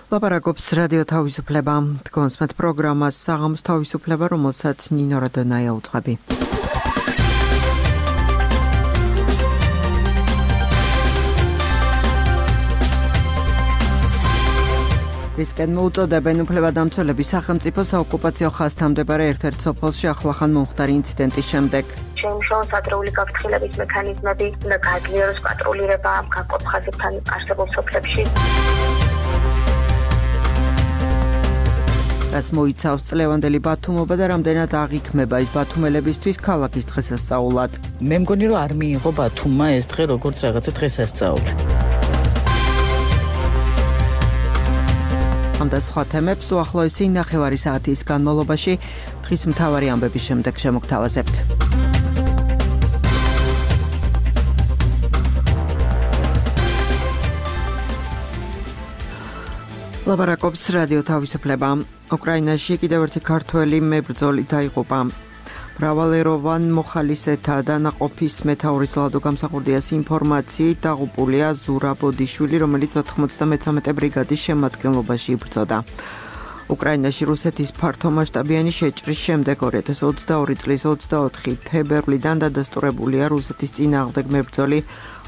ლაპარაკობს რადიო თავისუფლება. თქვენს პროგრამას საღამოს თავისუფლება, რომელსაც ნინო რადონაია უძღვები. რისკენ მოუწოდებენ უფლებადამცველები სახელმწიფო საოკუპაციო ხაზთან მდებარე ერთ-ერთ სოფელში ახლახან მომხდარი ინციდენტის შემდეგ. შეიმუშაოს ადრეული გაფრთხილების მექანიზმები, უნდა გააძლიეროს პატრულირება განყოფ ხაზებთან არსებულ სოფლებში. რაც მოიცავს წლევანდელი ბათუმობა და რამდენად აღიქმება ის ბათუმელებისთვის ქალაქის დღესასწაულად. მე მგონი რომ არ მიიღო ბათუმმა ეს დღე როგორც რაღაცა დღესასწაული. ამ და სხვა თემებს უახლოესი ნახევარი საათის განმავლობაში დღის მთავარი ამბების შემდეგ შემოგთავაზებთ. ლაპარაკობს რადიო თავისუფლება. უკრაინაში კიდევ ერთი ქართველი მებრძოლი დაიღუპა. მრავალეროვან მოხალისეთა და ნაყოფის მეთაურის ლადო გამსახურდიას ინფორმაციით დაღუპულია ზურა ბოდიშვილი, რომელიც 93 ბრიგადის შემადგენლობაში იბრძოდა. უკრაინაში რუსეთის ფართომასშტაბიანი შეჭრის შემდეგ 2022 წლის 24 თებერვლიდან დადასტურებულია რუსეთის წინააღმდეგ მებრძოლი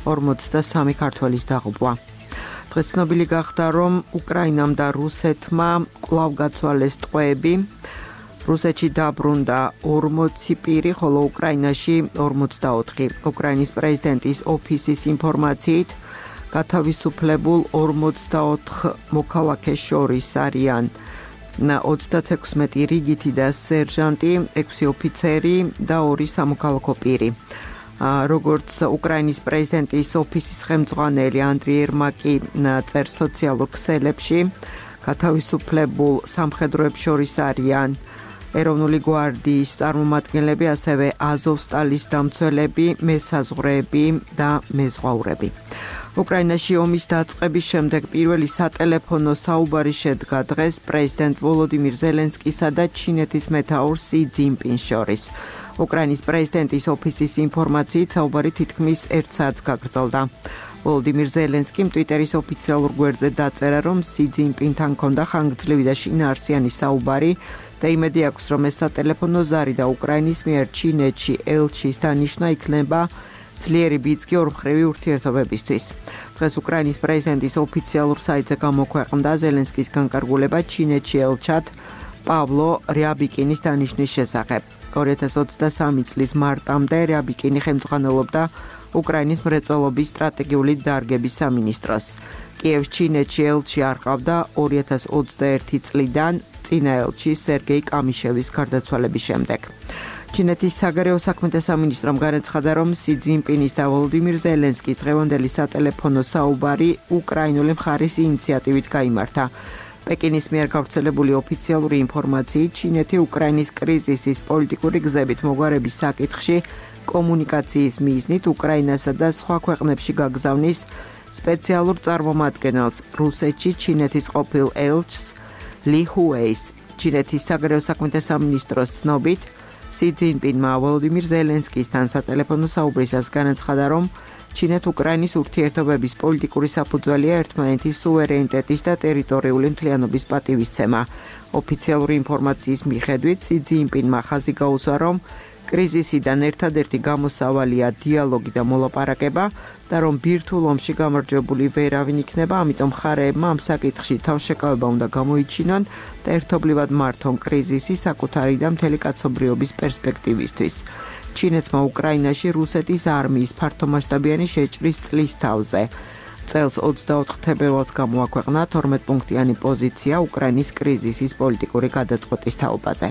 43 ქართველის დაღუპვა. დღეს ცნობილი გახდა, რომ უკრაინამ და რუსეთმა კვლავ გაცვალეს ტყვეები. რუსეთში დაბრუნდა 40 პირი, ხოლო უკრაინაში 44. უკრაინის პრეზიდენტის ოფისის ინფორმაციით, გათავისუფლებულ 44 მოქალაქეს შორის არიან 36 რიგითი და სერჟანტი, 6 ოფიცერი და 2 სამოქალაქო პირი. როგორც უკრაინის პრეზიდენტის ოფისის ხელმძღვანელი ანდრიი ერმაკი წერს სოციალურ ქსელებში, გათავისუფლებულ სამხედროებს შორის არიან ეროვნული გვარდიის წარმომადგენლები, ასევე აზოვსტალის დამცველები, მესაზღვრეები და მეზღვაურები. უკრაინაში ომის დაწყების შემდეგ პირველი სატელეფონო საუბარი შედგა დღეს პრეზიდენტ ვოლოდიმირ ზელენსკისა და ჩინეთის მეთაურ სი ძინპინს შორის. უკრაინის პრეზიდენტის ოფისის ინფორმაციით საუბარი თითქმის 1 საათს გაგრძელდა. ვოლოდიმირ ზელენსკიმ ტვიტერის ოფიციალურ გვერდზე დაწერა, რომ სი ძინპინთან ჰქონდა ხანგრძლივი და შინაარსიანი საუბარი და იმედი აქვს, რომ ეს სატელეფონო ზარი და უკრაინის მიერ ჩინეთში ელჩის დანიშვნა იქნება ძლიერი ბიძგი ორმხრივი ურთიერთობებისთვის. დღეს უკრაინის პრეზიდენტის ოფიციალურ საიტზე გამოქვეყნდა ზელენსკის განკარგულება ჩინეთში ელჩად პავლო რიაბიკინის დანიშვნის შესახებ. 2023 წლის მარტამდე რიაბიკინი ხელმძღვანელობდა უკრაინის მრეწველობის სტრატეგიული დარგების სამინისტროს. კიევს ჩინეთში ელჩი არ ყავდა 2021 წლიდან წინა ელჩი სერგეი კამიშევის გარდაცვალების შემდეგ. ჩინეთის საგარეო საქმეთა სამინისტრომ განაცხადა, რომ სი ძინპინის და ვოლოდიმირ ზელენსკის დღევანდელი სატელეფონო საუბარი უკრაინული მხარის ინიციატივით გაიმართა. პეკინის მიერ გავრცელებული ოფიციალური ინფორმაციით, ჩინეთი უკრაინის კრიზისის პოლიტიკური გზებით მოგვარების საკითხში კომუნიკაციის მიზნით უკრაინასა და სხვა ქვეყნებში გაგზავნის სპეციალურ წარმომადგენელს, რუსეთში ჩინეთის ყოფილ ელჩს ლი ჰუეის. ჩინეთის საგარეო საქმეთა სამინისტროს ცნობით, სი ძინპინმა ვოლოდიმირ ზელენსკისთან სატელეფონო საუბრისას განაცხადა, რომ ჩინეთ-უკრაინის ურთიერთობების პოლიტიკური საფუძველია ერთმანეთის სუვერენიტეტის და ტერიტორიული მთლიანობის პატივისცემა. ოფიციალური ინფორმაციის მიხედვით, სი ძინპინმა ხაზი გაუსვა, რომ კრიზისიდან ერთადერთი გამოსავალია დიალოგი და მოლაპარაკება და რომ ბირთვულ ომში გამარჯვებული ვერავინ იქნება, ამიტომ მხარეებმა ამ საკითხში თავშეკავება უნდა გამოიჩინონ და ერთობლივად მართონ კრიზისი საკუთარი და მთელი კაცობრიობის პერსპექტივისთვის. ჩინეთმა უკრაინაში რუსეთის არმიის ფართომასშტაბიანი შეჭრის წლის თავზე. წელს 24 თებერვალს გამოაქვეყნა 12 პუნქტიანი პოზიცია უკრაინის კრიზისის პოლიტიკური გადაწყვეტის თაობაზე.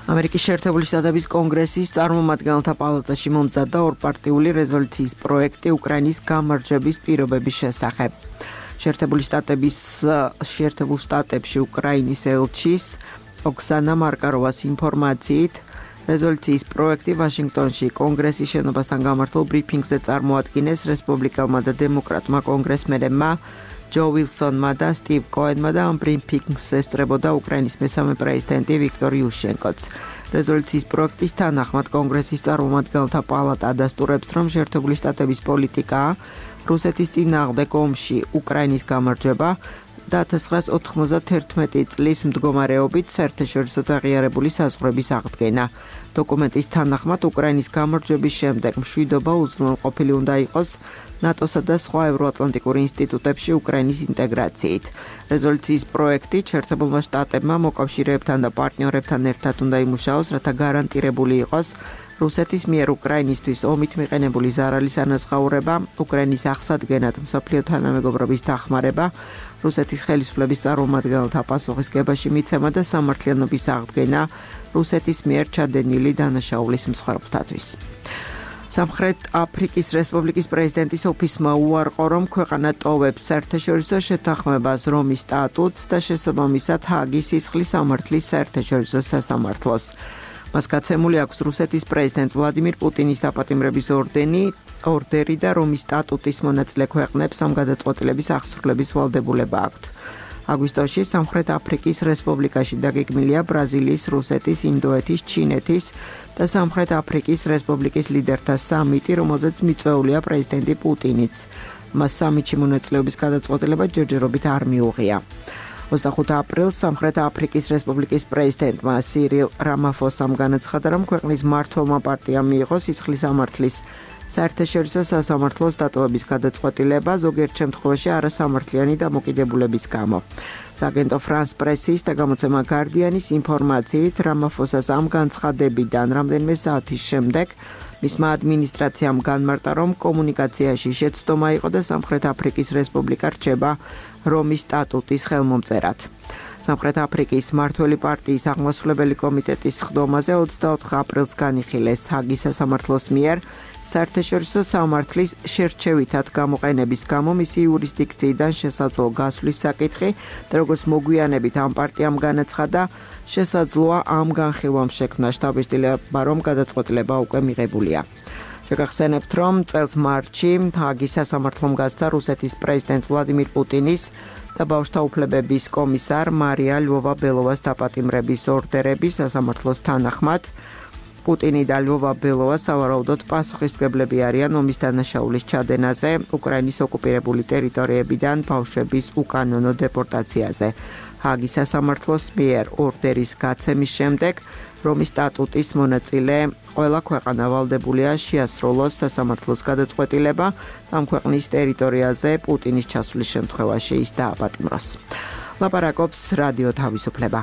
ამერიკის შეერთებული შტატების კონგრესის წარმომადგენელთა პალატაში მომზადდა ორპარტიული რეზოლუციის პროექტი უკრაინის გამარჯვების პირობების შესახებ. შეერთებულ შტატებში უკრაინის ელჩის ოქსანა მარკაროვას ინფორმაციით, რეზოლუციის პროექტი ვაშინგტონში კონგრესის შენობასთან გამართულ ბრიფინგზე წარმოადგინეს რესპუბლიკელმა და დემოკრატმა კონგრესმენებმა ჯო ვილსონმა და სტივ კოენმა და ამ ბრიფინგს ესწრებოდა უკრაინის მესამე პრეზიდენტი ვიქტორ იუშენკოც. რეზოლუციის პროექტის თანახმად კონგრესის წარმომადგენელთა პალატა ადასტურებს, რომ შეერთებული შტატების პოლიტიკაა რუსეთის წინააღმდეგ ომში უკრაინის გამარჯვება და 1991 წლის მდგომარეობით საერთაშორისო აღიარებული საზღვრების აღდგენა. დოკუმენტის თანახმად უკრაინის გამარჯვების შემდეგ მშვიდობა უზრუნველყოფილი უნდა იყოს ნატოსა და სხვა ევროატლანტიკურ ინსტიტუტებში უკრაინის ინტეგრაციით. რეზოლუციის პროექტი შეერთებულმა შტატებმა მოკავშირეებთან და პარტნიორებთან ერთად უნდა იმუშაოს, რათა გარანტირებული იყოს რუსეთის მიერ უკრაინისთვის ომით მიყენებული ზარალის ანაზღაურება, უკრაინის აღსადგენად მსოფლიო თანამეგობრობის დახმარება, რუსეთის ხელისუფლების წარმომადგენელთა პასუხისგებაში მიცემა და სამართლიანობის აღდგენა რუსეთის მიერ ჩადენილი დანაშაულის მსხვერპლთათვის. სამხრეთ აფრიკის რესპუბლიკის პრეზიდენტის ოფისმა უარყო, რომ ქვეყანა ტოვებს საერთაშორისო შეთანხმებას რომის სტატუტს და შესაბამისად ჰააგის სისხლის სამართლის საერთაშორისო სასამართლოს. მას გაცემული აქვს რუსეთის პრეზიდენტ ვლადიმირ პუტინის დაპატიმრების ორდერი და რომის სტატუტის მონაწილე ქვეყნებს ამ გადაწყვეტილების აღსრულების ვალდებულება აქვთ. აგვისტოში სამხრეთ აფრიკის რესპუბლიკაში დაგეგმილია ბრაზილიის, რუსეთის, ინდოეთის, ჩინეთის და სამხრეთ აფრიკის რესპუბლიკის ლიდერთა სამიტი, რომელზეც მიწვეულია პრეზიდენტი პუტინიც. მას სამიტში მონაწილეობის გადაწყვეტილება ჯერჯერობით არ მიუღია. 25 აპრილს სამხრეთ აფრიკის რესპუბლიკის პრეზიდენტმა სირილ რამაფოსამ განაცხადა, რომ ქვეყნის მმართველმა პარტიამ მიიღო სისხლის სამართლის საერთაშორისო სასამართლოს დატოვების გადაწყვეტილება, ზოგიერთ შემთხვევაში არასამართლიანი დამოკიდებულების გამო. სააგენტო ფრანს პრესის და გამოცემა გარდიანის ინფორმაციით, რამაფოსას ამ განცხადებიდან რამდენიმე საათის შემდეგ მისმა ადმინისტრაციამ განმარტა, რომ კომუნიკაციაში შეცდომა იყო და სამხრეთ აფრიკის რესპუბლიკა რჩება რომის სტატუტის ხელმომწერად. სამხრეთ აფრიკის მმართველი პარტიის აღმასრულებელი კომიტეტის სხდომაზე 24 აპრილს განიხილეს ჰააგის სასამართლოს მიერ საერთაშორისო სამართლის შერჩევითად გამოყენების გამო მისი იურისდიქციიდან შესაძლო გასვლის საკითხი და როგორც მოგვიანებით ამ პარტიამ განაცხადა, შესაძლოა ამ განხილვამ შექმნა შთაბეჭდილება, რომ გადაწყვეტილება უკვე მიღებულია. შეგახსენებთ, რომ წელს მარტში ჰააგის სასამართლომ გასცა რუსეთის პრეზიდენტ ვლადიმირ პუტინის და ბავშვთა უფლებების კომისარ მარია ლვოვა-ბელოვას დაპატიმრების ორდერები სასამართლოს თანახმად. პუტინი და ლვოვა-ბელოვა სავარაუდოდ პასუხისმგებლები არიან ომის დანაშაულის ჩადენაზე, უკრაინის ოკუპირებული ტერიტორიებიდან ბავშვების უკანონო დეპორტაციაზე. ჰააგის სასამართლოს მიერ ორდერის გაცემის შემდეგ რომის სტატუტის მონაწილე ყველა ქვეყანა ვალდებულია შეასრულოს სასამართლოს გადაწყვეტილება ამ ქვეყნის ტერიტორიაზე პუტინის ჩასვლის შემთხვევაში ის დააპატიმროს. ლაპარაკობს რადიო თავისუფლება.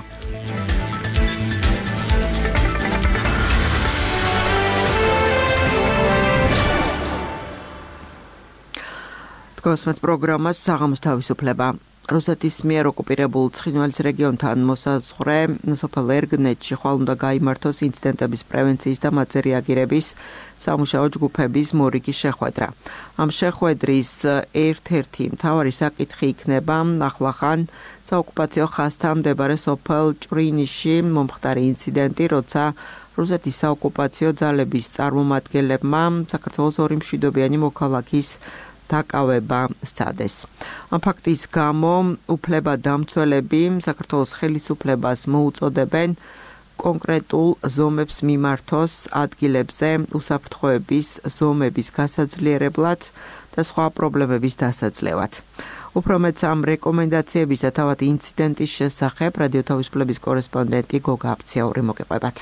გოსმეთ პროგრამას საღამოს თავისუფლება. რუსეთის მიერ ოკუპირებულ ცხინვალის რეგიონთან მოსაზღვრე სოფელ ერგნეთში ხვალ უნდა გაიმართოს ინციდენტების პრევენციის და მათზე რეაგირების სამუშაო ჯგუფების მორიგი შეხვედრა. ამ შეხვედრის ერთ-ერთი მთავარი საკითხი იქნება ახლახან საოკუპაციო ხაზთან მდებარე სოფელ ჭრინიშში მომხდარი ინციდენტი, როცა რუსეთის საოკუპაციო ძალების წარმომადგენლებმა საქართველოს ორი მშვიდობიანი მოქალაქის დაკავება სცადეს. ამ ფაქტის გამო უფლებადამცველები საქართველოს ხელისუფლებას მოუწოდებენ კონკრეტულ ზომებს მიმართოს ადგილებზე უსაფრთხოების ზომების გასაძლიერებლად და სხვა პრობლემების დასაძლევად. უფრო მეტს ამ რეკომენდაციებისა თავად ინციდენტის შესახებ რადიო თავისუფლების კორესპონდენტი გოგა აფციაური მოგეყვებათ.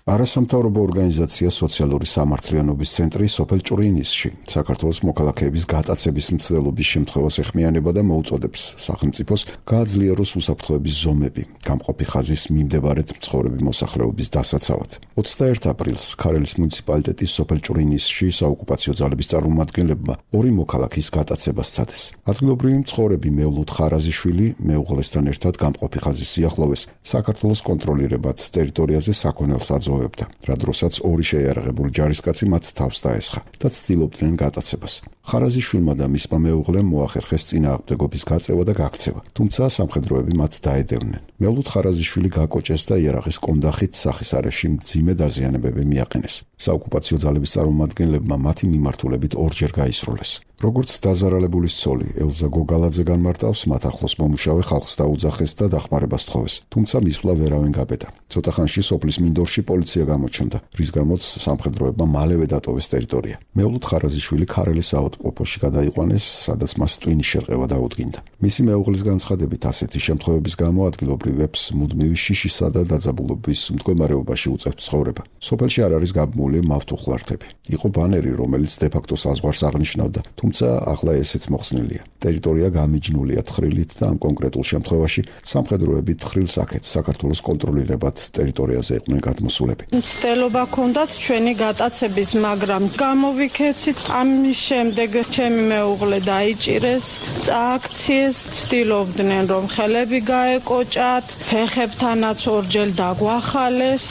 არასამთავრობო ორგანიზაცია სოციალური სამართლიანობის ცენტრი სოფელ ჭრინისში საქართველოს მოქალაქეების გატაცების მცდელობის შემთხვევას ეხმიანება და მოუწოდებს სახელმწიფოს გააძლიეროს უსაფრთხოების ზომები გამყოფი ხაზის მიმდებარედ მცხოვრები მოსახლეობის დასაცავად. 21 აპრილს ქარელის მუნიციპალიტეტის სოფელ ჭრინისში საოკუპაციო ძალების წარმომადგენლებმა ორი მოქალაქის გატაცება სცადეს. ადგილობრივი მცხოვრები მევლუთ ხარაზიშვილი მეუღლესთან ერთად გამყოფი ხაზის სიახლოვეს საქართველოს კონტროლირებად ტერიტორიაზე საქონელს რა დროსაც ორი შეიარაღებული ჯარისკაცი მათ თავს დაესხა და ცდილობდნენ გატაცებას. ხარაზიშვილმა და მისმა მეუღლემ მოახერხეს წინააღმდეგობის გაწევა და გაქცევა, თუმცა სამხედროები მათ დაედევნენ. მევლუთ ხარაზიშვილი გაკოჭეს და იარაღის კონდახით სახის არეში მძიმე დაზიანებები მიაყენეს. საოკუპაციო ძალების წარმომადგენლებმა მათი მიმართულებით ორჯერ გაისროლეს. როგორც დაზარალებულის ცოლი ელზა გოგალაძე განმარტავს, მათ ახლოს მომუშავე ხალხს დაუძახეს და დახმარებას თხოვეს, თუმცა მისვლა ვერავინ გაბედა. ცოტა ხანში სოფლის მინდორში პოლიცია გამოჩნდა, რის გამოც სამხედროებმა მალევე დატოვეს ტერიტორია. მეულუდ ხარაზიშვილი ქარელის საავადმყოფოში გადაიყვანეს, სადაც მას ტვინის შერყევა დაუდგინდა. მისი მეუღლის განცხადებით, ასეთი შემთხვევების გამო ადგილობრივებს მუდმივი შიშისა და დაძაბულობის მდგომარეობაში უწევთ ცხოვრება. სოფელში არ არის გაბმული მავთუხლართები. იყო ბანერი, რომელიც დე-ფაქტო საზღვარს აღნიშნავდა, თუმცა ახლა ესეც მოხსნილია. ტერიტორია გამიჯნულია თხრილით და ამ კონკრეტულ შემთხვევაში სამხედროები თხრილს აქეთ საქართველოს კონტროლირებად ტერიტორიაზე იყვნენ გადმოსულები. მცდელობა ჰქონდათ ჩვენი გატაცების, მაგრამ გამოვიქეცით. ამის შემდეგ ჩემი მეუღლე დაიჭირეს, წააქციეს, ცდილობდნენ რომ ხელები გაეკოჭათ, ფეხებთანაც ორჯერ დაგვახალეს,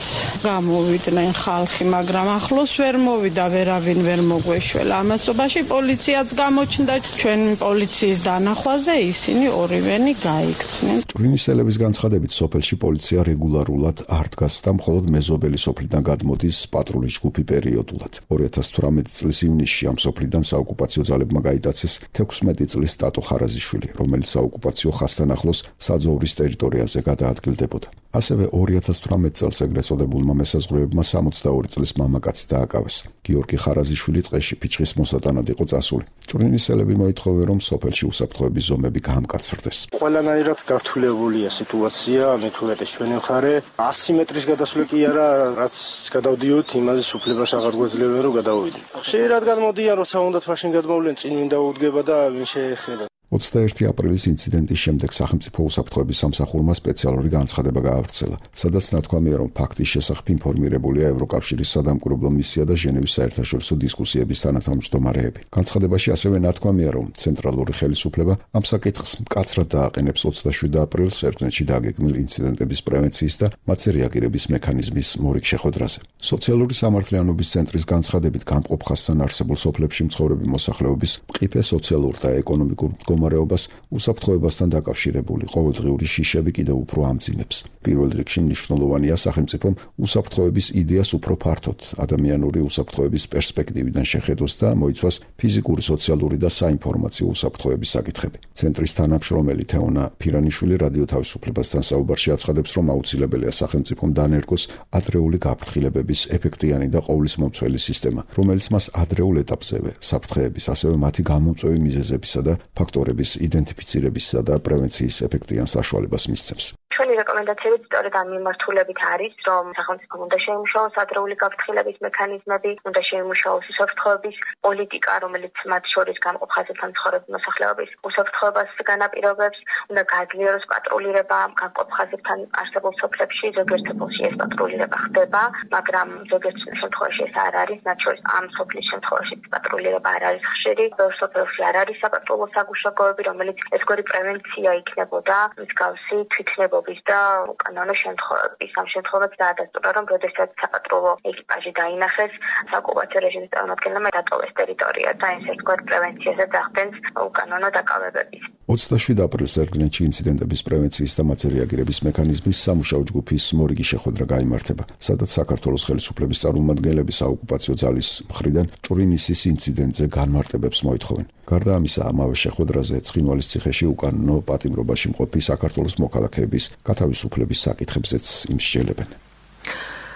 გამოვიდნენ ხალხი, მაგრამ ახლოს ვერ მოვიდა, ვერავინ ვერ მოგვეშველა. ამასობაში პოლიციაც გამოჩნდა, ჩვენ პოლიციის დანახვაზე ისინი ორივენი გაიქცნენ. ჭვრინისელების განცხადებით, სოფელში პოლიცია რეგულარულად არ დგას და მხოლოდ მეზობელი სოფლიდან გადმოდის პატრულის ჯგუფი პერიოდულად. 2018 წლის ივნისში ამ სოფლიდან საოკუპაციო ძალებმა გაიტაცეს 16 წლის ტატო ხარაზიშვილი, რომელიც საოკუპაციო ხაზთან ახლოს საძოვრის ტერიტორიაზე გადაადგილდებოდა. ასევე 2018 წელს ეგრეთ წოდებულმა მესაზღვრეებმა 62 წლის მამაკაცი დააკავეს. გიორგი ხარაზიშვილი ტყეში ფიჭვის მოსატანად იყო წასული. ჭვრინისელები მოითხოვე, რომ სოფელში უსაფრთხოების ზომები გაამკაცრდეს. ყველანაირად გართულებულია სიტუაცია, მეთვალეთეს ჩვენი მხარე 100 მეტრის გადასვლა კი არა, რაც გადავდიოთ, იმაზე სუფლებას აღარ გვეძლევენ, რომ გადავიდეთ. ხშირად გადმოდიან, როცა უნდათ მაშინ გადმოვლენ, წინ ვინ დაუდგება და ვინ შეეხება. 21 აპრილის ინციდენტის შემდეგ სახელმწიფო უსაფრთხოების სამსახურმა სპეციალური განცხადება გაავრცელა, სადაც ნათქვამია, რომ ფაქტის შესახებ ინფორმირებულია ევროკავშირის სადამკვირვებლო მისია და ჟენევის საერთაშორისო დისკუსიების თანათავმჯდომარეები. განცხადებაში ასევე ნათქვამია, რომ ცენტრალური ხელისუფლება ამ საკითხს მკაცრად დააყენებს 27 აპრილს ერთნეთში დაგეგმილ ინციდენტების პრევენციის და მათზე რეაგირების მექანიზმის მორიგ შეხვედრაზე. სოციალური სამართლიანობის ცენტრის განცხადებით, გამყოფ ხაზთან არსებულ სოფლებში მცხოვრები მოსახლეობის მყიფე სოციალურ და ეკონომიკურ მდგომარეობას უსაფრთხოებასთან დაკავშირებული ყოველდღიური შიშები კიდევ უფრო ამძიმებს. პირველ რიგში მნიშვნელოვანია სახელმწიფომ უსაფრთხოების იდეას უფრო ფართოდ ადამიანური უსაფრთხოების პერსპექტივიდან შეხედოს და მოიცვას ფიზიკური, სოციალური და საინფორმაციო უსაფრთხოების საკითხები. ცენტრის თანამშრომელი თეონა ფირანიშვილი რადიო თავისუფლებასთან საუბარში აცხადებს, რომ აუცილებელია სახელმწიფომ დანერგოს ადრეული გაფრთხილებების ეფექტიანი და ყოვლისმომცველი სისტემა, რომელიც მას ადრეულ ეტაპზევე საფრთხეების, ასევე მათი გამომწვევი მიზეზებისა და ფაქტორების იდენტიფიცირებისა და პრევენციის ეფექტიან საშუალებას მისცემს. ჩვენი რეკომენდაციები სწორედ ამ მიმართულებით არის, რომ სახელმწიფომ უნდა შეიმუშაოს ადრეული გაფრთხილების მექანიზმები, უნდა შეიმუშაოს უსაფრთხოების პოლიტიკა, რომელიც მათ შორის გამყოფ ხაზებთან მცხოვრები მოსახლეობის უსაფრთხოებას განაპირობებს, უნდა გააძლიეროს პატრულირება გამყოფ ხაზებთან არსებულ სოფლებში, ზოგიერთ სოფელში ეს პატრულირება ხდება, მაგრამ ზოგიერთ შემთხვევაში ეს არ არის, მათ შორის ამ სოფლის შემთხვევაში პატრულირება არ არის ხშირი, ბევრ სოფელში არ არის საპატრულო საგუშაგოები, რომელიც ეს გვარი პრევენცია იქნებოდა, მსგავსი თვითნებობა და უკანონო შემთხვევების. ამ შემთხვევაში დაადასტურა, რომ როდესაც საპატრულო ეკიპაჟი დაინახეს, საოკუპაციო რეჟიმის წარმომადგენლებმა დატოვეს ტერიტორია და ეს ერთგვარ პრევენციაზე დახდენს უკანონო დაკავებების. 27 აპრილს ერთგლენში ინციდენტების პრევენციის და მათზე რეაგირების მექანიზმის სამუშაო ჯგუფის მორიგი შეხვედრა გაიმართება, სადაც საქართველოს ხელისუფლების წარმომადგენლები საოკუპაციო ძალის მხრიდან ჭვრინისის ინციდენტზე განმარტებებს მოითხოვენ. გარდა ამისა, ამავე შეხვედრაზე ცხინვალის ციხეში უკანონო პატიმრობაში მყოფი საქართველოს მოქალაქეების გათავისუფლების საკითხებზეც იმსჯელებენ.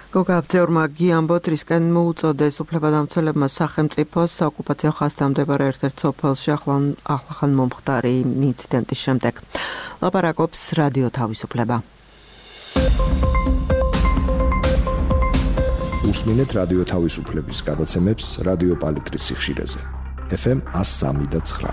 გოგაბძეორმა გიამბოთ, რისკენ მოუწოდეს უფლებადამცველებმა სახელმწიფოს საოკუპაციო ხაზთან მდებარე ერთ-ერთ სოფელში ახლახან მომხდარი ინციდენტის შემდეგ. ლაპარაკობს რადიო თავისუფლება. უსმინეთ რადიო თავისუფლების გადაცემებს რადიო პალიტრის სიხშირეზე. FM 103.9.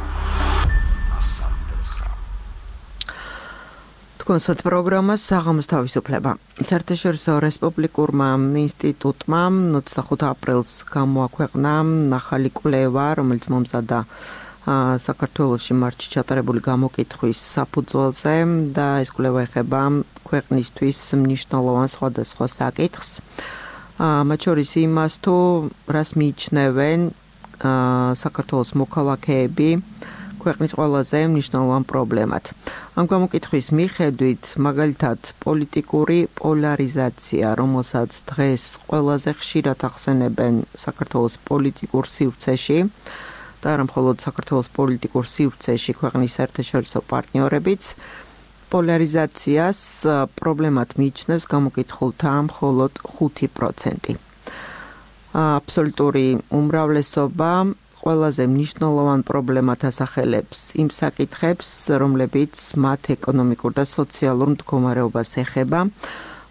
კონსერტ პროგრამა საღამოს თავისუფლება. საერთაშორისო რესპუბლიკურმა ინსტიტუტმა 25 აპრილს გამოაქვეყნა ახალი კვლევა, რომელიც მომზადდა საქართველოში მარტში ჩატარებული გამოკითხვის საფუძველზე და ეს კვლევა ეხება ქვეყნისთვის მნიშვნელოვან სხვადასხვა საკითხს. მათ შორის იმას, თუ რას მიიჩნევენ საქართველოს მოქალაქეები ქვეყნის ყველაზე მნიშვნელოვან პრობლემად. ამ გამოკითხვის მიხედვით, მაგალითად, პოლიტიკური პოლარიზაცია, რომელსაც დღეს ყველაზე ხშირად ახსენებენ საქართველოს პოლიტიკურ სივრცეში, და არა მხოლოდ საქართველოს პოლიტიკურ სივრცეში ქვეყნის საერთაშორისო პარტნიორებიც პოლარიზაციას პრობლემად მიიჩნევს გამოკითხულთა მხოლოდ 5%. აბსოლუტური უმრავლესობა ყველაზე მნიშვნელოვან პრობლემად ასახელებს იმ საკითხებს, რომლებიც მათ ეკონომიკურ და სოციალურ მდგომარეობას ეხება.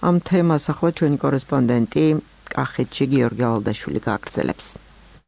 ამ თემას ახლა ჩვენი კორესპონდენტი კახეთში გიორგი ალალდაშვილი გააგრძელებს.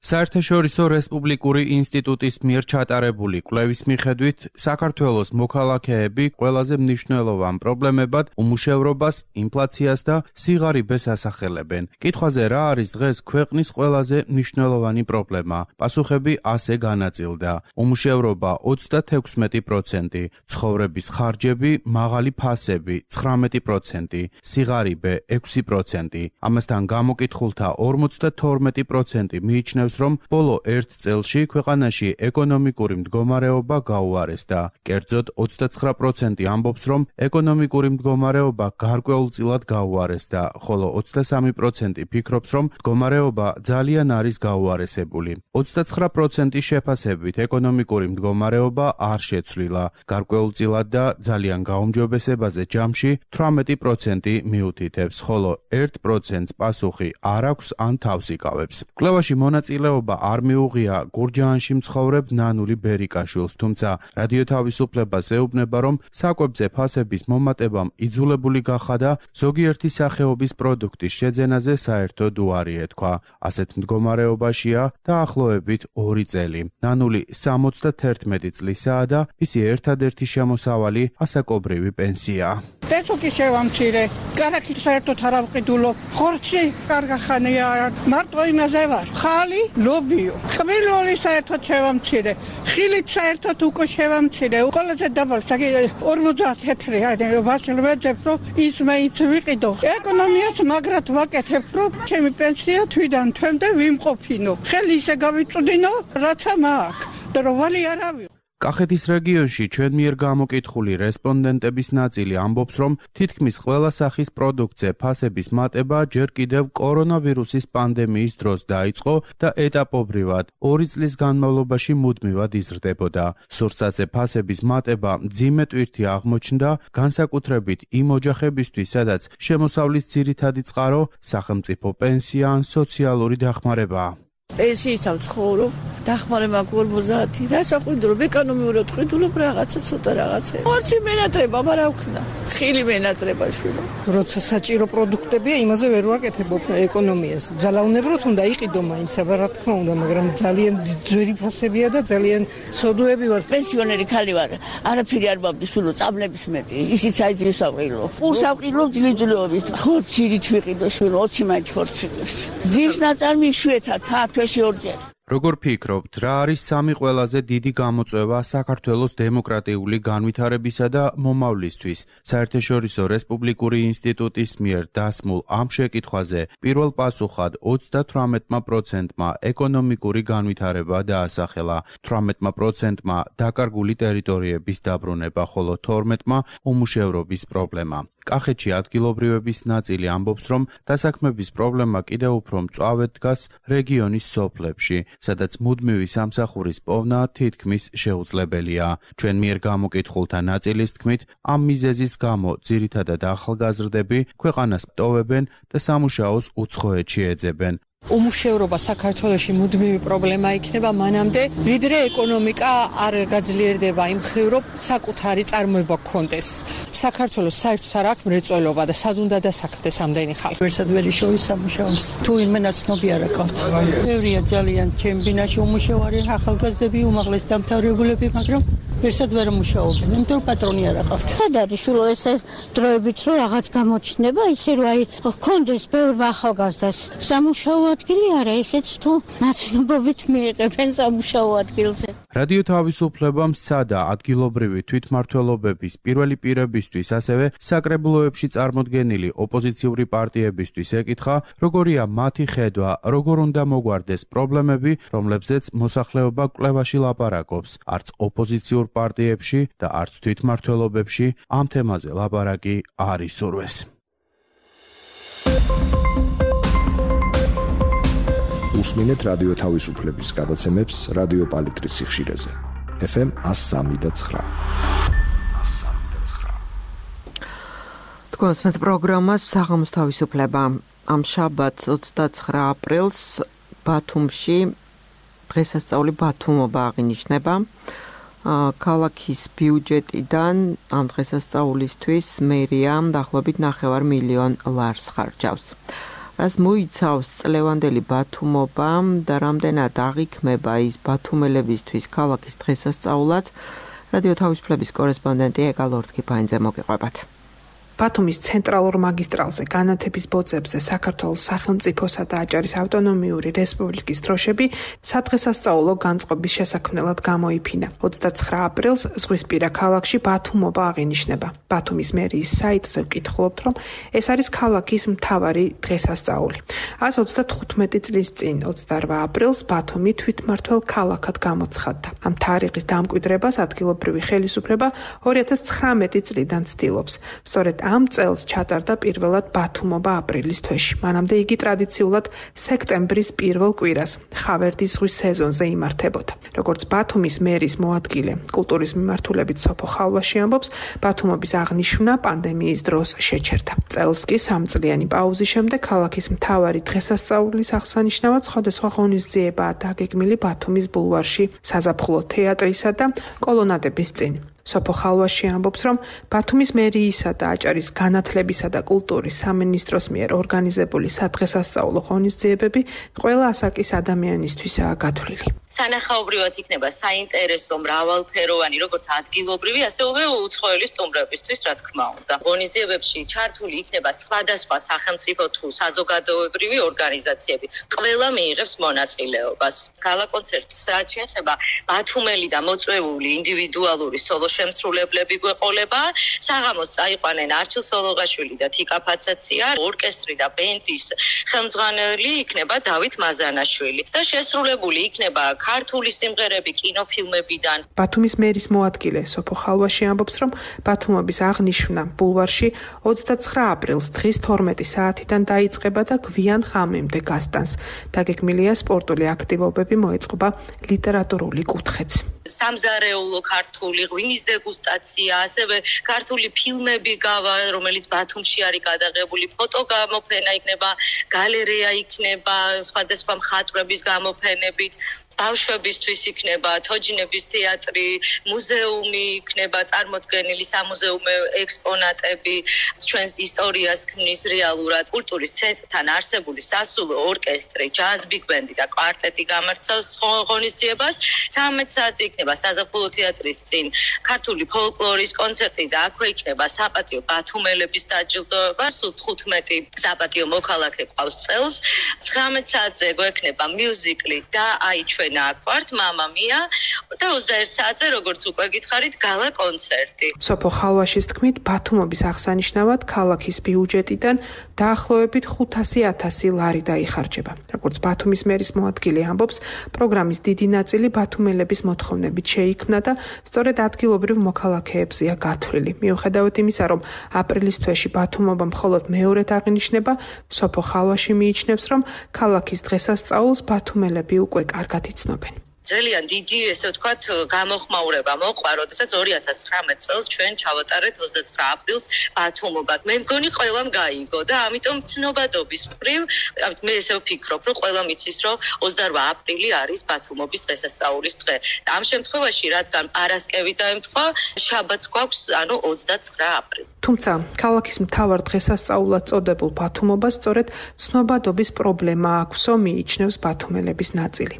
საერთაშორისო რესპუბლიკური ინსტიტუტის მიერ ჩატარებული კვლევის მიხედვით, საქართველოს მოქალაქეები ყველაზე მნიშვნელოვან პრობლემებად უმუშევრობას, ინფლაციას და სიღარიბეს ასახელებენ. კითხვაზე რა არის დღეს ქვეყნის ყველაზე მნიშვნელოვანი პრობლემა? პასუხები ასე განაწილდა. უმუშევრობა 36%, ცხოვრების ხარჯები, მაღალი ფასები 19%, სიღარიბე 6%. ამასთან გამოკითხულთა 52% მიიჩნევს, რომ ბოლო 1 წელში ქვეყანაში ეკონომიკური მდგომარეობა გაუარესდა. კერძოდ 29% ამბობს, რომ ეკონომიკური მდგომარეობა გარკვეულწილად გაუარესდა, ხოლო 23% ფიქრობს, რომ მდგომარეობა ძალიან არის გაუარესებული. 29% შეფასებით ეკონომიკური მდგომარეობა არ შეცვლილა. გარკვეულწილად და ძალიან გაუმჯობესებაზე ჯამში 18% მიუთითებს, ხოლო 1%-ს პასუხი არ აქვს ან თავს იკავებს. კვლევაში მონაწილეობა არ მიუღია გურჯაანში მცხოვრებ ნანული ბერიკაშვილს, თუმცა რადიო თავისუფლებას ეუბნება, რომ საკვებზე ფასების მომატებამ იძულებული გახადა ზოგიერთი სახეობის პროდუქტის შეძენაზე საერთოდ უარი ეთქვა. ასეთ მდგომარეობაშია დაახლოებით 2 წელი. ნანული 71 წლისაა და მისი ერთადერთი შემოსავალი ასაკობრივი პენსია. პესოკი შევამცირე, კარაქით საერთოდ არ ავყიდულობ, ხორცი კარგა ხანია, მარტო იმაზე ვარ. ხალი ლობიო. ხმელოლი საერთოდ შევამცირე, ხილით საერთოდ უკვე შევამცირე. ყველაზე დაბალ 50 ვაშლვეძებ, რომ ის მეც ვიყიდო. ეკონომიას მაგრად ვაკეთებ, რომ ჩემი პენსია თვიდან თვემდე ვიმყოფინო. ხელი ისე გავიწვდინო, რაცა მაქვს. და რომ ვალი არავი. კახეთის რეგიონში ჩვენ მიერ გამოკითხული რესპონდენტების ნაწილი ამბობს, რომ თითქმის ყველა სახის პროდუქტზე ფასების მატება ჯერ კიდევ კორონავირუსის პანდემიის დროს დაიწყო და ეტაპობრივად 2 წლის განმავლობაში მუდმივად იზრდებოდა. სურსათზე ფასების მატება მძიმე ტვირთი აღმოჩნდა, განსაკუთრებით იმ ოჯახებისთვის, სადაც შემოსავლის ძირითადი წყარო სახელმწიფო პენსია ან სოციალური დახმარებაა. პენსიით ვცხოვრობ, დახმარება 50, რასაყიდულობ, ეკონომიურად ყიდულობ რაღაცა ცოტა რაღაცა. ხორცი მენატრება, მაგრამ ვქნა. ხილი მენატრება შვილო. როცა საჭირო პროდუქტებია, იმაზე ვერ ვაკეთებ ეკონომიას. ძალაუნებროთ უნდა იყიდო მაინც, რა თქმა უნდა, მაგრამ ძალიან ძვირი ფასებია და ძალიან ცოდუები ვარ. პენსიონერი ხალი ვარ. არაფერი არ მაბდის შვილო, წაბლების მეტი. ისიც აიძრის აყიდო. პურს აყიდო ძლიძლობით. ხორცით ვიყიდო შვილო, 20 მაინც ხორცი. ძის ნაწარმი შვეთა თათვეში ორჯერ. როგორ ფიქრობთ, რა არის სამი ყველაზე დიდი გამოწვევა საქართველოს დემოკრატიული განვითარებისა და მომავლისთვის? საერთაშორისო რესპუბლიკური ინსტიტუტის მიერ დასმულ ამ შეკითხვაზე პირველ პასუხად 38%-მა ეკონომიკური განვითარება დაასახელა, 18%-მა დაკარგული ტერიტორიების დაბრუნება, ხოლო 12%-მა უმუშევრობის პრობლემა. კახეთში ადგილობრივების ნაწილი ამბობს, რომ დასაქმების პრობლემა კიდევ უფრო მწვავედ დგას რეგიონის სოფლებში, სადაც მუდმივი სამსახურის პოვნა თითქმის შეუძლებელია. ჩვენ მიერ გამოკითხულთა ნაწილის თქმით, ამ მიზეზის გამო ძირითადად ახალგაზრდები ქვეყანას ტოვებენ და სამუშაოს უცხოეთში ეძებენ. უმუშევრობა საქართველოში მუდმივი პრობლემა იქნება მანამდე, ვიდრე ეკონომიკა არ გაძლიერდება იმ მხრივ, რომ საკუთარი წარმოება გქონდეს. საქართველოს საერთოდ არ აქვს მრეწველობა და სად უნდა დასაქმდეს ამდენი ხალხი. ვერსად ვერ შოვის სამუშაოს. თუ ვინმე ნაცნობი არ აქვს. ბევრია ძალიან ჩემბინაში უმუშევარი ახალგაზრდები, უმაღლეს დამთავრებულები, მაგრამ ვერსად ვერ მუშაობენ, იმიტომ რომ პატრონი არ აყავთ. სად არის სულ ეს დროებით რომ რაღაც გამოჩნდება, ისე რომ აი გქონდეს ბევრ ახალგაზრდას სამუშაო ადგილი არა, ესეც თუ ნაცნობობით მიიღებენ სამუშაო ადგილზე. რადიო თავისუფლებამ სცადა ადგილობრივი თვითმმართველობების პირველი პირებისთვის, ასევე საკრებულოებში წარმოდგენილი ოპოზიციური პარტიებისთვის ეკითხა, როგორია მათი ხედვა, როგორ უნდა მოგვარდეს პრობლემები, რომლებზეც მოსახლეობა კვლევაში ლაპარაკობს, არც ოპოზიციურ პარტიებში და არც თვითმმართველობებში ამ თემაზე ლაპარაკი არ ისურვეს. უსმინეთ რადიო თავისუფლების გადაცემებს რადიო პალიტრის სიხშირეზე. FM 103.9. თქვენს პროგრამას საღამოს თავისუფლება. ამ შაბათს 29 აპრილს ბათუმში დღესასწაული ბათუმობა აღინიშნება. ქალაქის ბიუჯეტიდან ამ დღესასწაულისთვის მერია დაახლოებით 9 მილიონ ლარს ხარჯავს. რას მოიცავს წლევანდელი ბათუმობა და რამდენად აღიქმება ის ბათუმელებისთვის ქალაქის დღესასწაულად, რადიო თავისუფლების კორესპონდენტი ეკა ლორთქიფაინძე მოგიყვებათ. ბათუმის ცენტრალურ მაგისტრალზე განათების ბოძებზე საქართველოს სახელმწიფოსა და აჭარის ავტონომიური რესპუბლიკის დროშები სადღესასწაულო განწყობის შესაქმნელად გამოიფინა. 29 აპრილს ზღვისპირა ქალაქში ბათუმობა აღინიშნება. ბათუმის მერიის საიტზე ვკითხულობთ, რომ ეს არის ქალაქის მთავარი დღესასწაული. 135 წლის წინ 28 აპრილს ბათუმი თვითმმართველ ქალაქად გამოცხადდა. ამ თარიღის დამკვიდრებას ადგილობრივი ხელისუფლება 2019 წლიდან ცდილობს. სწორედ ამ წელს ჩატარდა პირველად ბათუმობა აპრილის თვეში. მანამდე იგი ტრადიციულად სექტემბრის პირველ კვირას, ხავერდის ზღვის სეზონზე იმართებოდა. როგორც ბათუმის მერის მოადგილე, კულტურის მიმართულებით სოფო ხალვაში ამბობს, ბათუმობის აღნიშვნა პანდემიის დროს შეჩერდა. წელს კი სამწლიანი პაუზის შემდეგ ქალაქის მთავარი დღესასწაულის აღსანიშნავად სხვადასხვა ღონისძიებაა დაგეგმილი ბათუმის ბულვარში, საზაფხულო თეატრისა და კოლონადების წინ. სოფო ხალვაში ამბობს, რომ ბათუმის მერიისა და აჭარის განათლებისა და კულტურის სამინისტროს მიერ ორგანიზებული სადღესასწაულო ღონისძიებები ყველა ასაკის ადამიანისთვისაა გათვლილი. სანახაობრივად იქნება საინტერესო მრავალფეროვანი, როგორც ადგილობრივი, ასევე უცხოელი სტუმრებისთვის, რა თქმა უნდა. ღონისძიებებში ჩართული იქნება სხვადასხვა სახელმწიფო თუ საზოგადოებრივი ორგანიზაციები. ყველა მიიღებს მონაწილეობას. გალაკონცერტს რაც შეეხება ბათუმელი და მოწვეული ინდივიდუალური სოლო შემსრულებლები გვეყოლება. საღამოს წაიყვანენ არჩილ სოლოღაშვილი და თიკა ფაცაცია, ორკესტრი და ბენდის ხელმძღვანელი იქნება დავით მაზანაშვილი და შესრულებული იქნება ქართული სიმღერები კინოფილმებიდან. ბათუმის მერის მოადგილე სოფო ხალვაში ამბობს, რომ ბათუმობის აღნიშვნა ბულვარში 29 აპრილს დღის 12 საათიდან დაიწყება და გვიან ღამემდე გასტანს. დაგეგმილია სპორტული აქტივობები, მოეწყობა ლიტერატურული კუთხეც. სამზარეულო ქართული ღვინის დეგუსტაცია, ასევე ქართული ფილმები გავა, რომელიც ბათუმში არის გადაღებული, ფოტოგამოფენა იქნება, გალერეა იქნება, სხვადასხვა მხატვრების გამოფენებით. ბავშვებისთვის იქნება თოჯინების თეატრი, მუზეუმი იქნება წარმოდგენილი, სამუზეუმო ექსპონატები, ჩვენს ისტორიას ქმნის რეალურად. კულტურის ცენტრთან არსებული სასულო ორკესტრი, ჯაზ ბიგბენდი და კვარტეტი გამართავს ღონისძიებას. 13 საათზე იქნება საზაფხულო თეატრის წინ ქართული ფოლკლორის კონცერტი და აქვე იქნება საპატიო ბათუმელების დაჯილდოება. სულ 15 საპატიო მოქალაქე ყავს წელს. 19 საათზე გვექნება მიუზიკლი და აი აქ ვართ მამა მია და 21 საათზე როგორც უკვე გითხარით გალა კონცერტი. სოფო ხალვაშის თქმით, ბათუმობის აღსანიშნავად ქალაქის ბიუჯეტიდან დაახლოებით 500.000 ლარი დაიხარჯება. როგორც ბათუმის მერის მოადგილე ამბობს, პროგრამის დიდი ნაწილი ბათუმელების მოთხოვნებით შეიქმნა და სწორედ ადგილობრივ მოქალაქეებზეა გათვლილი. მიუხედავად იმისა, რომ აპრილის თვეში ბათუმობა მხოლოდ მეორედ აღინიშნება, სოფო ხალვაში მიიჩნევს, რომ ქალაქის დღესასწაულს ბათუმელები უკვე კარგად იცნობენ. ძალიან დიდი, ესე ვთქვათ, გამოხმაურება მოყვა, როდესაც 2019 წელს ჩვენ ჩავატარეთ 29 აპრილს ბათუმობა. მე მგონი ყველამ გაიგო და ამიტომ ცნობადობის მხრივ, მე ესე ვფიქრობ, რომ ყველამ იცის, რომ 28 აპრილი არის ბათუმობის დღესასწაულის დღე. ამ შემთხვევაში, რადგან პარასკევი დაემთხვა, შაბათს გვაქვს, ანუ 29 აპრილი. თუმცა, ქალაქის მთავარ დღესასწაულად წოდებულ ბათუმობას სწორედ ცნობადობის პრობლემა აქვსო, მიიჩნევს ბათუმელების ნაწილი.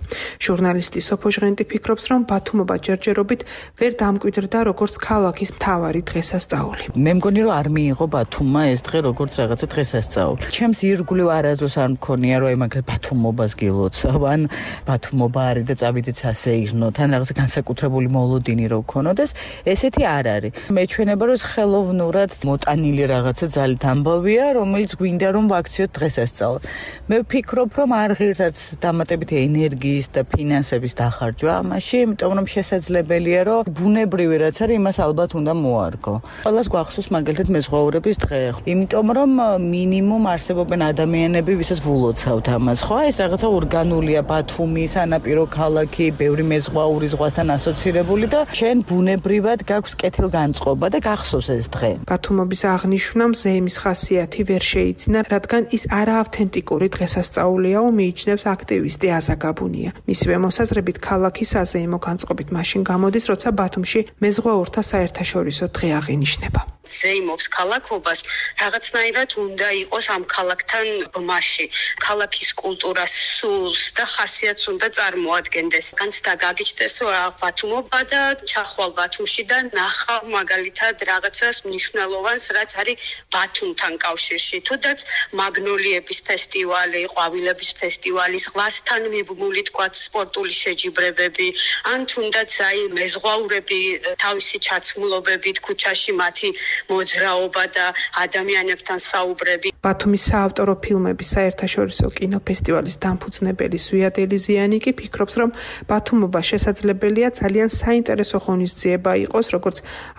ჟურნალისტი სოფო ჟღენტი ფიქრობს, რომ ბათუმობა ჯერჯერობით ვერ დამკვიდრდა როგორც ქალაქის მთავარი დღესასწაული. მე მგონი, რომ არ მიიღო ბათუმმა ეს დღე როგორც რაღაცა დღესასწაული. ჩემს ირგვლივ არასდროს არ მქონია, რომ მაგალითად ბათუმობას გილოცავ, ან ბათუმობა არის და წავიდეთ სასეირნო, თან რაღაცა განსაკუთრებული მოლოდინი რო გქონოდეს, ესეთი არ არის. მეჩვენება, რომ ხელოვნურად მოტანილი რაღაცა ძალით ამბავია, რომელიც გვინდა რომ ვაქციოთ დღესასწაულს. მე ვფიქრობ, რომ არ ღირსაც დამატებით ენერგიის და ფინანსების დახარჯვა ამაში, იმიტომ რომ შესაძლებელია რომ ბუნებრივი რაც არის იმას ალბათ უნდა მოარგო. ყველას გვახსოვს მაგალითად მეზღვაურების დღე. იმიტომ რომ მინიმუმ არსებობენ ადამიანები, ვისაც ვულოცავთ ამას, ხო? ეს რაღაცა ორგანულია, ბათუმი, სანაპირო ქალაქი, ბევრი მეზღვაური ზღვასთან ასოცირებული და შენ ბუნებრივად გაქვს კეთილგანწყობა და გახსოვს ეს დღე. ბათუმობის აღნიშვნამ ზეიმის ხასიათი ვერ შეიძინა, რადგან ის არაავთენტიკური დღესასწაულიაო, მიიჩნევს აქტივისტი აზაგაბუნია. მისივე მოსაზრებით ქალაქი საზეიმო განწყობით მაშინ გამოდის, როცა ბათუმში მეზღვაურთა საერთაშორისო დღე აღინიშნება. ზეიმობს ქალაქობას რაღაცნაირად უნდა იყოს ამ ქალაქთან ბმაში. ქალაქის კულტურას, სულს და ხასიათს უნდა წარმოადგენდეს. განცდა გაგიჩნდეს ბათუმობა და ჩახვალ ბათუმში და ნახავ მაგალითად რაღაცას მნიშვნელოვანს, რაც არის ბათუმთან კავშირში. თუდაც მაგნოლიების ფესტივალი, ყვავილების ფესტივალი, ზღვასთან მიბმული თქვა სპორტული შეჯიბრებები, ან თუნდაც აი მეზღვაურები თავისი ჩაცმულობებით ქუჩაში მათი მოძრაობა და ადამიანებთან საუბრები. ბათუმის საავტორო ფილმების საერთაშორისო კინოფესტივალის დამფუძნებელი ზვიად ელიზიანი კი ფიქრობს, რომ ბათუმობა შესაძლებელია ძალიან საინტერესო ღონისძიება იყოს, როგორც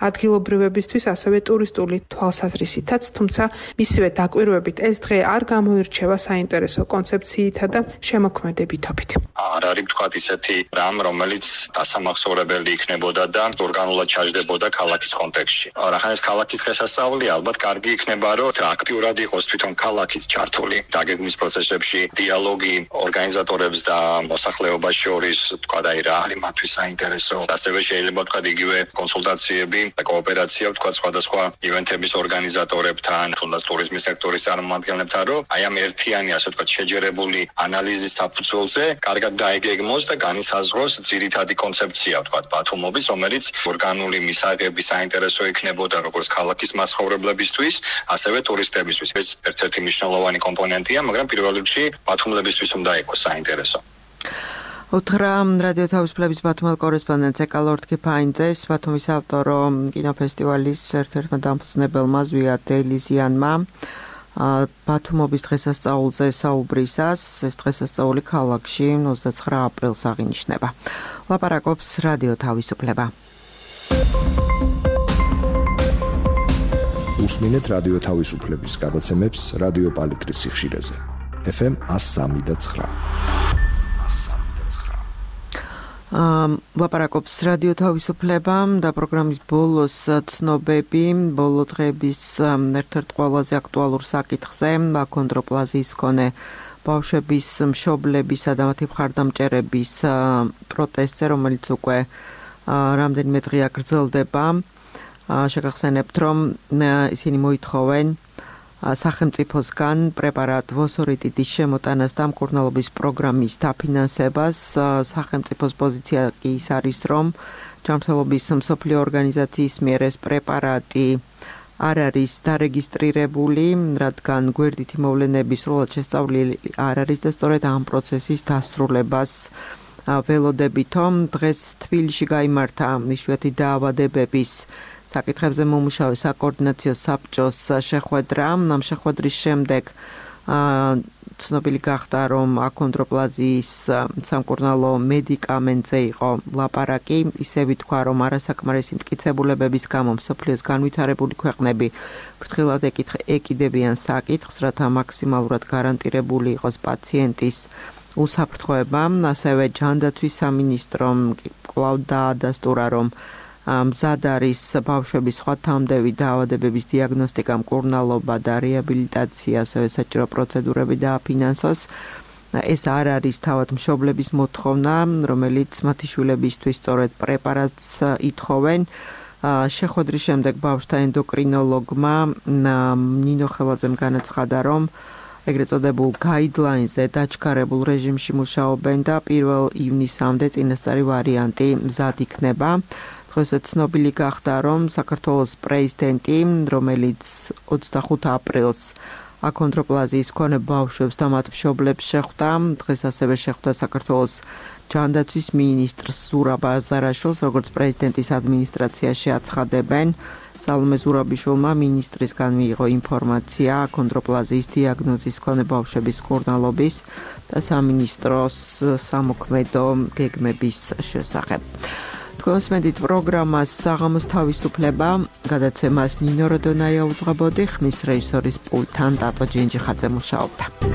ადგილობრივებისთვის, ასევე ტურისტული თვალსაზრისითაც, თუმცა მისივე დაკვირვებით ეს დღე არ გამოირჩევა საინტერესო კონცეფციითა და შემოქმედებითობით. არ არის თქვათ ისეთი რამ, რომელიც დასამახსოვრებელი იქნებოდა და ორგანულად ჩაჯდებოდა ქალაქის კონტექსტში. რახან ეს ქალაქის დღესასწაული ალბათ კარგი იქნება, რომ აქტიურად იყოს თვითონ ქალაქის ჩართული დაგეგმვის პროცესებში, დიალოგი ორგანიზატორებს და მოსახლეობას შორის, თქვა და რა არის მათთვის საინტერესო. ასევე შეიძლება თქვა იგივე კონსულტაციები და კოოპერაცია თქვა სხვადასხვა ივენთების ორგანიზატორებთან, თუნდაც ტურიზმის სექტორის წარმომადგენლებთან, რომ აი ამ ერთიანი, ასე ვთქვათ, შეჯერებული ანალიზის საფუძველზე კარგად დაიგეგმოს და განისაზღვროს ძირითადი კონცეფცია, ვთქვათ, ბათუმობის, რომელიც ორგანული მისაღები საინტერესო იქნებოდა როგორც ქალაქის მაცხოვრებლებისთვის, ასევე ტურისტებისთვის. ეს ერთ-ერთი მნიშვნელოვანი კომპონენტია, მაგრამ პირველ რიგში ბათუმლებისთვის უნდა იყოს საინტერესო. უთხრა რადიო თავისუფლების ბათუმელ კორესპონდენტს ეკალორდ კიფაინძეს, ბათუმის ავტორო კინოფესტივალის ერთ-ერთმა დამფუძნებელმა ზვიად ელიზიანმა ბათუმობის დღესასწაულზე საუბრისას, ეს დღესასწაული ქალაქში 29 აპრილს აღინიშნება. ლაპარაკობს რადიო თავისუფლება. უსმინეთ რადიო თავისუფლების გადაცემებს რადიო პალიტრის სიხშირეზე. FM 103.9. ლაპარაკობს რადიო თავისუფლება და პროგრამის ბოლოს ცნობები, ბოლო დღეების ერთ-ერთ ყველაზე აქტუალურ საკითხზე, აქონდროპლაზიის მქონე ბავშვების მშობლებისა და მათი მხარდამჭერების პროტესტზე, რომელიც უკვე რამდენიმე დღეა გრძელდება. შეგახსენებთ, რომ ისინი მოითხოვენ სახელმწიფოსგან პრეპარატ ვოსორიტიდის შემოტანას და მკურნალობის პროგრამის დაფინანსებას. სახელმწიფოს პოზიცია კი ის არის, რომ ჯანმრთელობის მსოფლიო ორგანიზაციის მიერ ეს პრეპარატი არ არის დარეგისტრირებული, რადგან გვერდითი მოვლენები სრულად შესწავლილი არ არის და სწორედ ამ პროცესის დასრულებას ველოდებით, რომ დღეს თბილისში გაიმართა იშვიათი დაავადებების საკითხებზე მომუშავე საკოორდინაციო საბჭოს შეხვედრა. ამ შეხვედრის შემდეგ ცნობილი გახდა, რომ აქონდროპლაზიის სამკურნალო მედიკამენტზე იყო ლაპარაკი. ისე ვითქვა, რომ არასაკმარისი მტკიცებულებების გამო მსოფლიოს განვითარებული ქვეყნები ფრთხილად ეკიდებიან საკითხს, რათა მაქსიმალურად გარანტირებული იყოს პაციენტის უსაფრთხოება. ასევე ჯანდაცვის სამინისტრომ კვლავ დაადასტურა, რომ მზად არის ბავშვების სხვა თანმდევი დაავადებების დიაგნოსტიკა, მკურნალობა და რეაბილიტაცია, ასევე საჭირო პროცედურები დააფინანსოს. ეს არ არის თავად მშობლების მოთხოვნა, რომელიც მათი შვილებისთვის სწორედ პრეპარატს ითხოვენ. შეხვედრის შემდეგ ბავშვთა ენდოკრინოლოგმა ნინო ხელაძემ განაცხადა, რომ ეგრეთ წოდებულ guidelines-ზე დაჩქარებულ რეჟიმში მუშაობენ და 1 ივნისამდე წინასწარი ვარიანტი მზად იქნება. დღესაც ცნობილი გახდა, რომ საქართველოს პრეზიდენტი, რომელიც 25 აპრილს აქონდროპლაზიის მქონე ბავშვებს და მათ მშობლებს შეხვდა, დღეს ასევე შეხვდა საქართველოს ჯანდაცვის მინისტრს ზურაბ აზარაშვილს, როგორც პრეზიდენტის ადმინისტრაციაში აცხადებენ. სალომე ზურაბიშვილმა მინისტრისგან მიიღო ინფორმაცია აქონდროპლაზიის დიაგნოზის მქონე ბავშვების მკურნალობის და სამინისტროს სამოქმედო გეგმების შესახებ. თქვენს მედით პროგრამას საღამოს თავისუფლება გადაცემას ნინო როდონაია უძღვებოდი, ხმის რეჟისორის პულტთან დატო ჯინჯიხაძე მუშაობდა.